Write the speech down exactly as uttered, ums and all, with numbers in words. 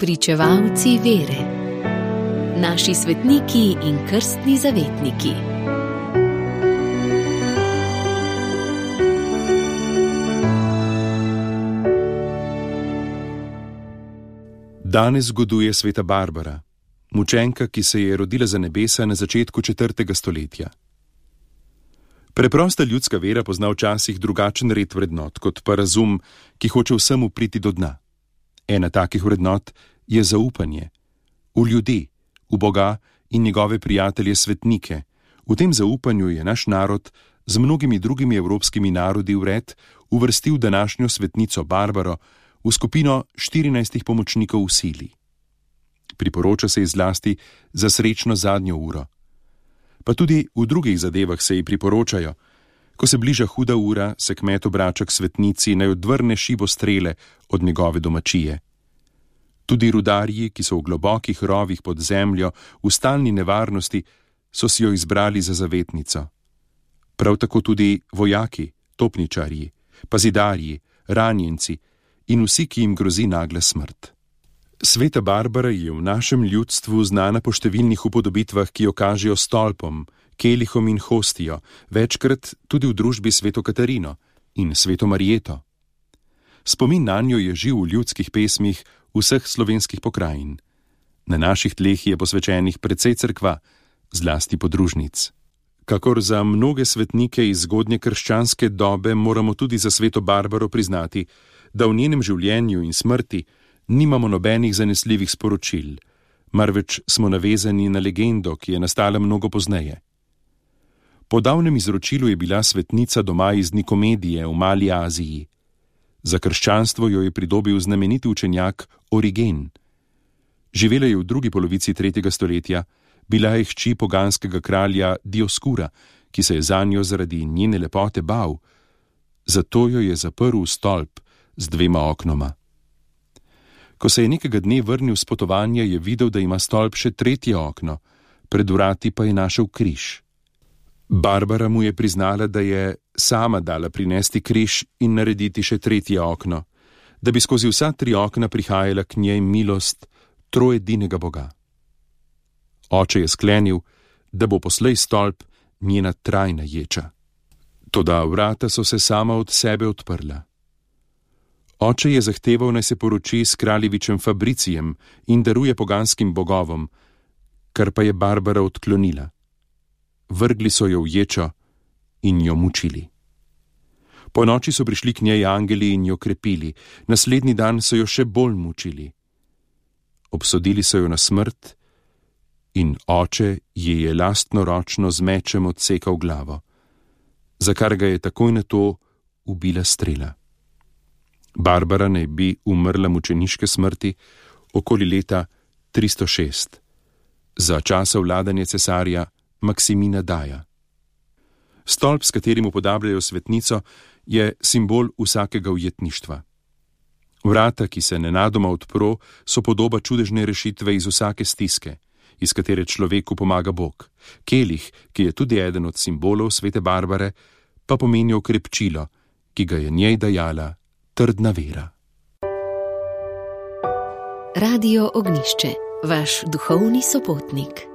Spričevalci vere. Naši svetniki in krstni zavetniki. Danes zgoduje sveta Barbara, mučenka, ki se je rodila za nebesa na začetku četrtega stoletja. Preprosta ljudska vera pozna včasih drugačen red vrednot, kot pa razum, ki hoče vsemu priti do dna. Ena takih vrednot je zaupanje v ljudi, v Boga in njegove prijatelje svetnike. V tem zaupanju je naš narod z mnogimi drugimi evropskimi narodi vred uvrstil današnjo svetnico Barbaro v skupino štirinajstih pomočnikov v sili. Priporoča se ji zlasti za srečno zadnjo uro. Pa tudi v drugih zadevah se ji priporočajo. Ko se bliža huda ura, se kmet obrača k svetnici, naj odvrne šibo strele od njegove domačije. Tudi rudarji, ki so v globokih rovih pod zemljo, v stalni nevarnosti, so si jo izbrali za zavetnico. Prav tako tudi vojaki, topničarji, pazidarji, ranjenci in vsi, ki jim grozi nagla smrt. Sveta Barbara je v našem ljudstvu znana po številnih upodobitvah, ki jo kažejo stolpom, kelihom in hostijo, večkrat tudi v družbi sveto Katarino in sveto Marjeto. Spomin nanjo je živ v ljudskih pesmih vseh slovenskih pokrajin. Na naših tleh je posvečenih precej cerkva, zlasti podružnic. Kakor za mnoge svetnike iz zgodnje krščanske dobe moramo tudi za sveto Barbaro priznati, da v njenem življenju in smrti nimamo nobenih zanesljivih sporočil, marveč smo navezani na legendo, ki je nastala mnogo pozneje. Po davnem izročilu je bila svetnica doma iz Nikomedije v Mali Aziji. Za krščanstvo jo je pridobil znameniti učenjak Origen. Živela je v drugi polovici tretjega stoletja, bila je hči poganskega kralja Dioskura, ki se je zanjo zaradi njene lepote bal, zato jo je zaprl v stolp z dvema oknoma. Ko se je nekega dne vrnil s potovanja, je videl, da ima stolp še tretje okno, pred vrati pa je našel križ. Barbara mu je priznala, da je sama dala prinesti križ in narediti še tretje okno, da bi skozi vsa tri okna prihajala k njej milost trojedinega Boga. Oče je sklenil, da bo poslej stolp njena trajna ječa. Toda vrata so se sama od sebe odprla. Oče je zahteval, naj se poroči s kraljevičem Fabricijem in daruje poganskim bogovom, kar pa je Barbara odklonila. Vrgli so jo v ječo in jo mučili. Po noči so prišli k njej angeli in jo krepili, naslednji dan so jo še bolj mučili. Obsodili so jo na smrt in oče ji je lastnoročno z mečem odsekal glavo, za kar ga je takoj na to ubila strela. Barbara naj bi umrla mučeniške smrti okoli leta tristo šest, za časa vladanja cesarja Maksimina Daja. Stolp, s katerim upodabljajo svetnico, je simbol vsakega ujetništva. Vrata, ki se nenadoma odpro, so podoba čudežne rešitve iz vsake stiske, iz katere človeku pomaga Bog. Kelih, ki je tudi eden od simbolov svete Barbare, pa pomeni okrepčilo, ki ga je njej dajala trdna vera. Radio Ognjišče, vaš duhovni sopotnik.